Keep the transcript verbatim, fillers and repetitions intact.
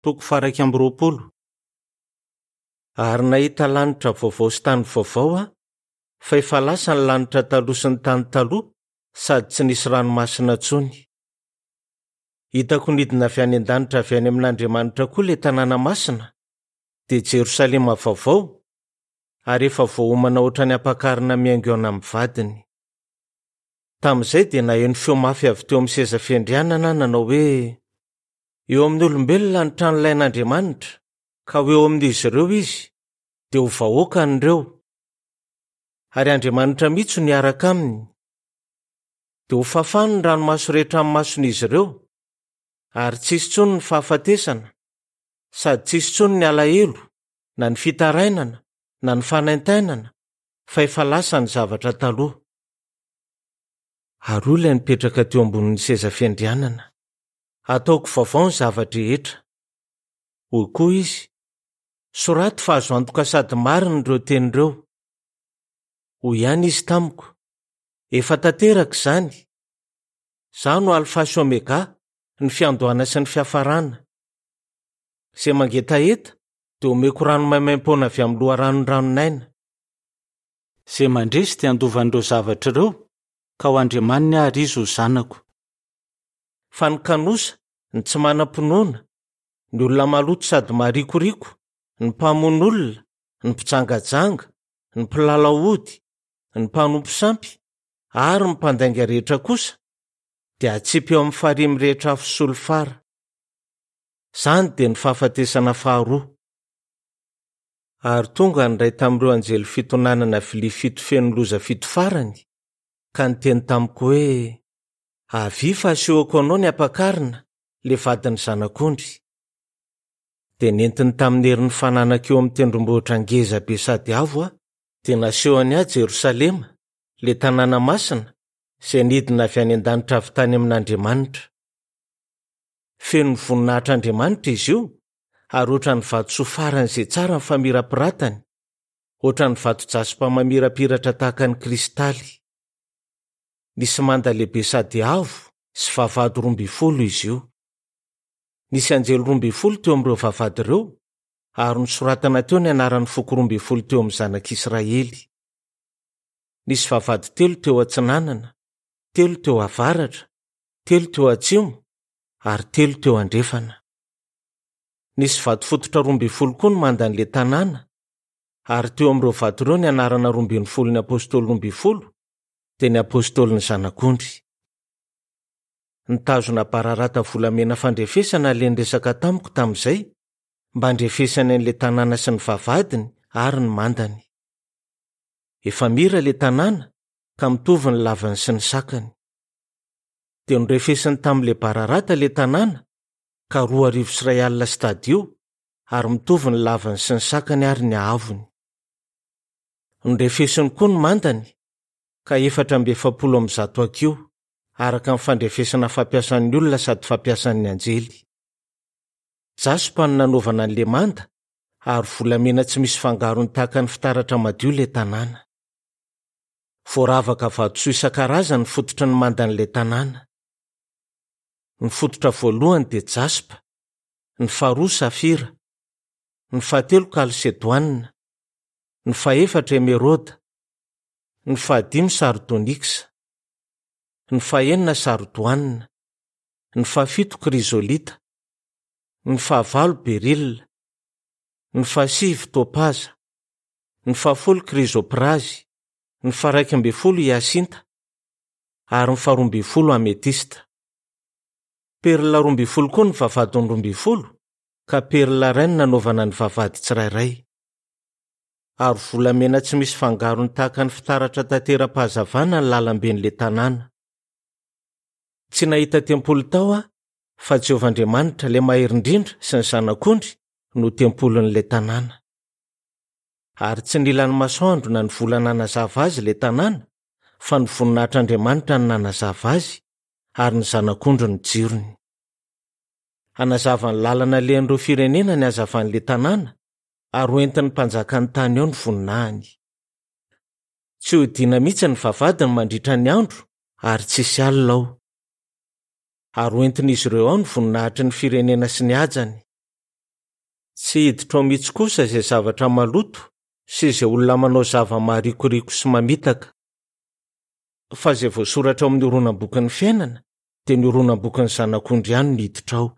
Toko faha-iraika amby roapolo. Ary nahita lanitra vaovao sy tany vaovao aho, fa efa lasa ny lanitra taloha sy ny tany taloha, sady tsy nisy ranomasina intsony. Hitako nidina avy any an-danitra avy any amin'Andriamanitra koa ilay tanàna masina, dia Jerosalema vaovao, ary efa voaomana ohatran'ny ampakarina mihaingoana amin'ny vadiny. Tamin'izay dia naheno feo mafy avy teo amin'ny seza fiandrianana nanao hoe: Eo amin'ny olombelona ny tranolain'Andriamanitra, ka ho eo amin'izy ireo izy, dia ho vahoakany ireo. Ary Andriamanitra mihitsy no hiaraka aminy. Dia ho fafany ny ranomaso rehetra amin'ny mason'izy ireo, ary tsy hisy intsony ny fahafatesana, sady tsy hisy intsony ny alahelo, na ny fitarainana, na ny fanaintainana, fa efa lasa ny zavatra taloha. Ary hoy ilay nipetraka teo ambonin'ny seza fiandrianana: Ataoko vaovao ny zava-drehetra. Hoy koa izy: Soraty fa azo antoka sady marina ireo teny ireo. Hoy ihany izy tamiko: Efa tanteraka izany. Izaho no Alfa sy Omega, ny fiandohana sy ny fiafarana. Izay mangetaheta dia omeko rano maimaimpoana avy amin'ny loharanon-dranon'aina. Izay mandresy dia handova an'ireo zavatra ireo, ka ho Andriamaniny aho ary izy ho zanako. Fa ny kanosa, ny tsy manam-pinoana, ny olona maloto sady marikoriko, ny mpamono olona, ny mpijangajanga, ny mpilalao ody, ny mpanompo sampy, ary ny mpandainga rehetra kosa, dia atsipy eo amin'ny farihy mirehitra afo solifara. Izany dia ny fahafatesana faharoa. Ary tonga ny iray tamin'ireo anjely fito nanana vilia fito feno loza fito farany, ka niteny tamiko hoe: Avia fa asehoko anao ny ampakarina, ilay vadin'ny zanak'ondry. Dia nentiny tamin'ny herin'ny fananako eo amin'ny tendrombohitra ngeza be sady avo aho, dia nasehony ahy Jerosalema, ilay tanàna masina, izay nidina avy any an-danitra avy tany amin'Andriamanitra. Feno ny voninahitr'Andriamanitra izy io, ary ohatran'ny vatosoa faran'izay tsara ny famirapiratany, ohatran'ny vato jaspa mamirapiratra tahaka ny kristaly. Nisy manda lehibe sady avo sy vavahady roa ambin'ny folo izy io. Nisy anjely roa ambin'ny folo teo amin'ireo vavahady ireo, ary nosoratana teo ny anaran'ny foko roa ambin'ny folo teo amin'ny zanak'Israely. Nisy vavahady telo teo atsinanana, telo teo avaratra, telo teo atsimo, ary telo teo andrefana. Nisy vato fototra roa ambin'ny folo koa ny mandan'ilay tanàna, ary teo amin'ireo vato ireo ny anarana roa ambin'ny folon'ny apôstôly roa ambin'ny folo, dia ny apôstôlin'ny zanak'ondry. Nitazona bararata volamena fandrefesana ilay niresaka tamiko tamin'izay, mba handrefesany an'ilay tanàna sy ny vavahadiny ary ny mandany. Efa mira ilay tanàna ka mitovy ny lavany sy ny sakany. Dia norefesiny tamin'ilay bararata ilay tanàna, ka roa arivo sy iray alina stadio, ary mitovy ny lavany sy ny sakany ary ny haavony. Norefesiny koa ny mandany, ka efatra amby efapolo amby zato hakiho, araka ny fandrefesana fampiasan'ny olona sady fampiasan'ny anjely. Jaspa no nanaovana an'ilay manda, ary volamena tsy misy fangarony tahaka ny fitaratra madio ilay tanàna. Voaravaka vatosoa isan-karazany ny fototry ny mandan'ilay tanàna. Ny fototra voalohany dia jaspa, ny faharoa safira, ny fahatelo kalsedoanina, ny fahefatra emeraude, ny fahadimy sardoniksa, ny fahenina sardoanina, ny fahafito krizolita, ny fahavalo berila, ny fahasivy topaza, ny fahafolo krizoprazy, ny faharaika ambin'ny folo hiasinta, ary ny faharoa ambin'ny folo ametista. Perla roa ambin'ny folo koa ny vavahadiny roa ambin'ny folo, ka perla iray no nanaovana ny vavahady tsirairay. Ary volamena tsy misy fangarony tahaka ny fitaratra tantera-pahazavana ny lalamben'ilay tanàna. Tsy nahita tempoly tao aho, fa Jehovah Andriamanitra, ilay mahery indrindra, sy ny zanak'ondry no tempolin'ilay tanàna. Ary tsy nila ny masoandro na ny volana nanazava azy ilay tanàna, fa ny voninahitr'Andriamanitra no nanazava azy, ary ny zanak'ondry ny jirony. Hanazava ny lalana alehan'ireo firenena ny hazavan'ilay tanàna, ary hoentin'ny mpanjakan'ny tany ao ny voninahiny. Tsy hodiana mihitsy ny vavahadiny mandritra ny andro, ary tsy hisy alina ao. Ary hoentin'izy ireo ao ny voninahitry ny firenena sy ny hajany. Tsy hiditra ao mihitsy kosa izay zavatra maloto sy izay olona manao zava-maharikoriko sy mamitaka. Fa izay voasoratra ao amin'ny horonam-bokin'ny fiainana dia ny horonam-bokin'ny Zanak'ondry ihany no hiditra ao.